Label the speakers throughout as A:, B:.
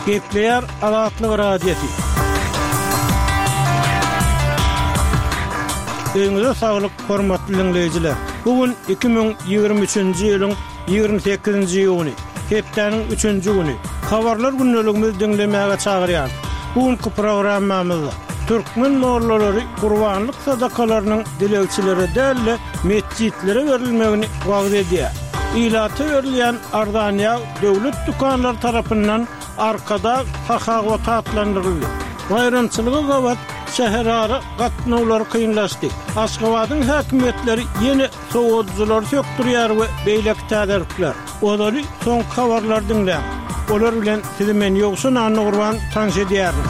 A: Gepleýär Azatlyk Radiosy. Öýüňize saglyk, hormatly diňleýjiler! Bu gün 2023-nji ýylyň 28-nji iýuny, hepdäniň üçünji güni. Habarlar gündeligimizi diňlemäge çagyrýarys. Bu günki programmamyzda türkmen mollalary gurbanlyk sadakalarynyň dilegçilere däl-de, metjitlere berilmegini wagyz edýär. Ilata berilýän arzan ýag döwlet dükanlary tarapyndan Arkadag sahawaty atlandyryldy. Baýramçylyga gabat şäherara gatnawlar kynlaşdy. Aşgabadyň häkimiýetleri ýene sowadyjylary sökdürýär we beýleki täzelikler. Ozaly soňky habarlary diňläň. Olar bilen sizi men Ýowşan Annagurban tanyş edýärin.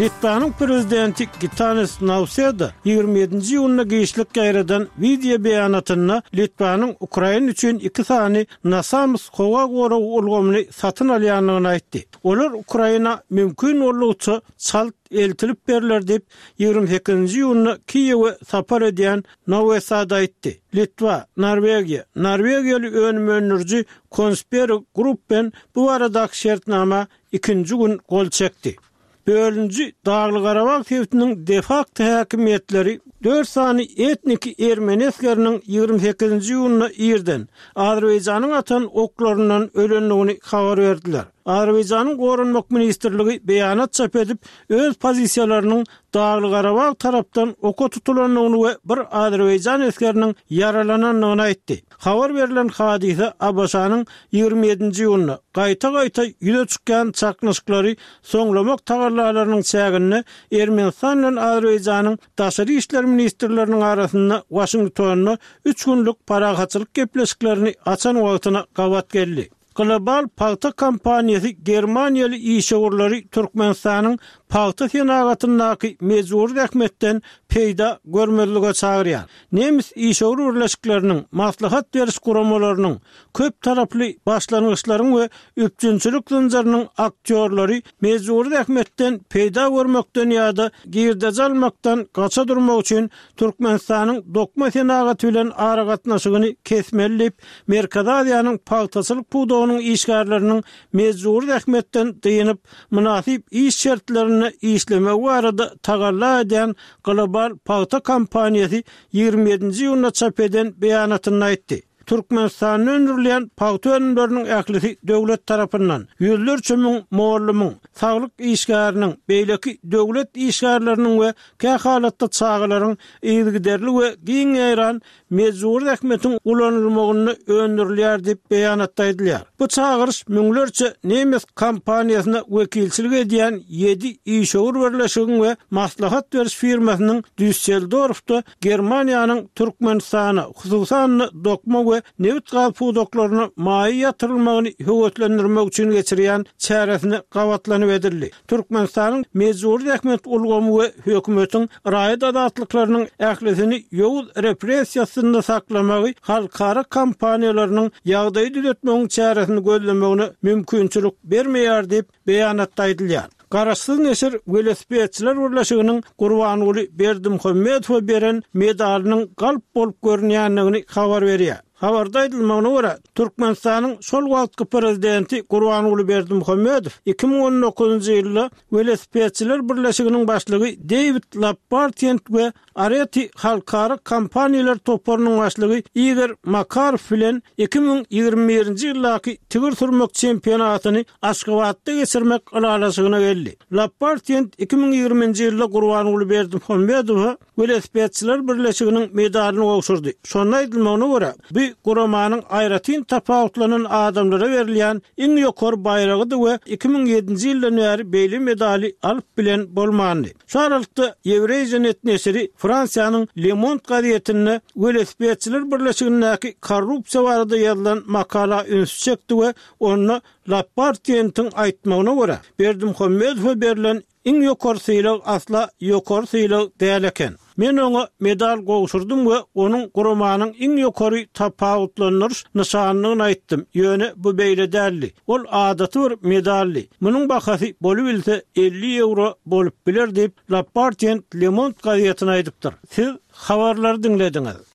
A: Litwanyň prezidenti Gitanas Nauseda 27-nji iýunda giçlik ýaýradan wideo beýanatynda Litwanyň Ukraina üçin iki sany Nasams howa goragy ulgamyny satyn alýandygyny aýtdy. Olar Ukraina mümkin boldugyça çalt eltilip berler diýip, 28-nji iýunda Kiýewe sapar edýän Nauesada aýtdy. Litwa, Norwegiýa, norwegiýaly önüm öndüriji Kongsberg Gruppen bu baradaky şertnama ikinji gün gol çekdi. Bölüniji Dagly-Garabag sebitiniň de-fakto häkimiýetleri dört sany etniki ermeni esgeriniň 28-nji iýunda irden Azerbaýjanyň atan oklaryndan ölendigini habar berdiler. Azerbaýjanyň Goranmak ministrligi beýanat çap edip, öz pozisiýalarynyň Dagly-Garabag tarapdan oka tutulandygyny we bir azerbaýjan esgeriniň ýaralanandygyny aýtdy. Habar berlen hadysa ABŞ-nyň 27-nji iýunda gaýta-gaýta ýüze çykýan çaknyşyklary soňlamak tagallalarynyň çäginde Ermenistan bilen Azerbaýjanyň daşary işler ministrleriniň arasynda Waşingtonda üç günlük parahatçylyk gepleşiklerini açan wagtyna gabat geldi. Global pagta kompaniýasy germaniýaly işewürleri Türkmenistanyň pagta senagatyndaky mejbury zähmetden peýda görmezlige çagyrýar. Nemes işewür birleşikleriniň, maslahat beriş guramalarynyň, köp taraply başlangyçlaryň we üpjünçilik zynjyrynyň aktýorlary mejbury zähmetden peýda görmekden ýa-da girdeji almakdan gaça durmak üçin Türkmenistanyň dokma senagaty bilen aragatnaşygyny kesmeli diýip, Merkezi Aziýanyň pagtaçylyk pudagynyň işgärleriniň mejbury zähmetden dynyp, mynasyp iş şertlerinde işlemegi barada tagalla edýän Global pagta kompaniýasy 27-nji iýunda çap eden beýanatynda aýtdy. Türkmenistanda öndürilýän pagta önümleriniň ählisi döwlet tarapyndan, ýüzlerçe müň mugallymyň, saglyk işgäriniň, beýleki döwlet işgärleriniň we kähalatda çagalaryň yzygiderli we giň ýaýran mejbury zähmetiň ulanylmagynda öndürilýär diýip, beýanatda aýdylýar. Bu çagyryş müňlerçe nemes kompaniýasyna wekilçilik edýän ýedi işewür birleşigiň we maslahat beriş firmasynyň Düsseldorfda Germaniýanyň Türkmenistana, hususan-da, dokma we nebit-gaz pudaklaryna maýa ýatyrylmagyny höweslendirmek üçin geçirýän çäresine gabatlanyp edildi. Türkmenistanyň mejbury zähmet ulgamy we hökümetiň raýat azatlyklarynyň ählisini ýowuz repressiýa astynda saklamagy halkara kompaniýalarynyň ýagdaýy düzetmegiň çäresini gözlemegine mümkinçilik bermeýär diýip, beýanatda aýdylýar. Garaşsyz neşir Welosipedçiler birleşiginiň Gurbanguly Berdimuhamedowa beren medalynyň galp bolup görünýändigini habar berýär. Habarda aýdylmagyna görä, Türkmenistanyň şol wagtky prezidenti Gurbanguly Berdimuhamedow 2019-njy ýylda Welosipedçiler birleşiginiň başlygy Deýwid Lappartient we Areti halkara kompaniýalar toparynyň başlygy Igor Makarow bilen 2021-nji ýyldaky tigir sürmek çempionatyny Aşgabatda geçirmek ylalaşygyna geldi. Lappartient 2020-nji ýylda Gurbanguly Berdimuhamedowa Welosipedçiler birleşiginiň medalyny gowşurdy. Şonda aýdylmagyna görä, bu guramanyň aýratyn tapawutlanan adamlara berilýän iň ýokary baýragydy we 2007-nji ýyldan bäri beýle medaly alyp bilen bolmandy. Şu aralykda, Eurasianet neşiri Fransiýanyň Le Monde gazetinde Welosipedçiler birleşigindäki korrupsiýa barada ýazylan makala ünsi çekdi we onda Lappartientiň aýtmagyna görä, Berdimuhamedowa berlen Iň ýokary sylag asla ýokary sylag däl eken. Men oňa medal gowşurdym we onuň guramanyň iň ýokary tapawutlandyryş nyşanydygyny aýtdym, ýöne bu beýle däldi. Ol adaty bir medaldy. Munuň bahasy bolubilse 50 ýewro bolup biler diýip, Lappartient Le Monde gazetine aýdypdyr. Siz habarlary diňlediňiz.